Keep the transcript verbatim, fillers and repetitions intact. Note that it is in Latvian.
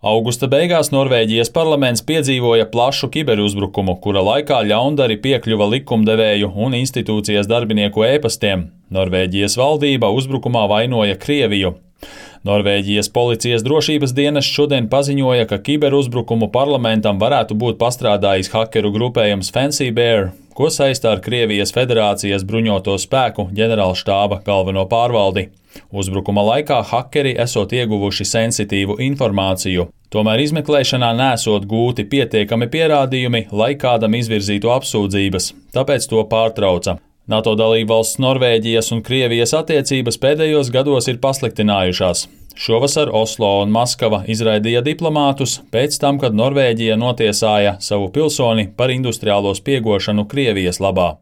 Augusta beigās Norvēģijas parlaments piedzīvoja plašu kiberuzbrukumu, kura laikā ļaundari piekļuva likumdevēju un institūcijas darbinieku ēpastiem. Norvēģijas valdība uzbrukumā vainoja Krieviju. Norvēģijas policijas drošības dienests šodien paziņoja, ka kiberuzbrukumu parlamentam varētu būt pastrādājis hakeru grupējums Fancy Bear, ko saistā ar Krievijas Federācijas bruņoto spēku ģenerālštāba galveno pārvaldi. Uzbrukuma laikā hakeri esot ieguvuši sensitīvu informāciju. Tomēr izmeklēšanā nesot gūti pietiekami pierādījumi, lai kādam izvirzītu apsūdzības, tāpēc to pārtrauca. NATO dalībvalsts Norvēģijas un Krievijas attiecības pēdējos gados ir pasliktinājušās. Šovasar Oslo un Maskava izraidīja diplomātus pēc tam, kad Norvēģija notiesāja savu pilsoni par industriālo spiegošanu Krievijas labā.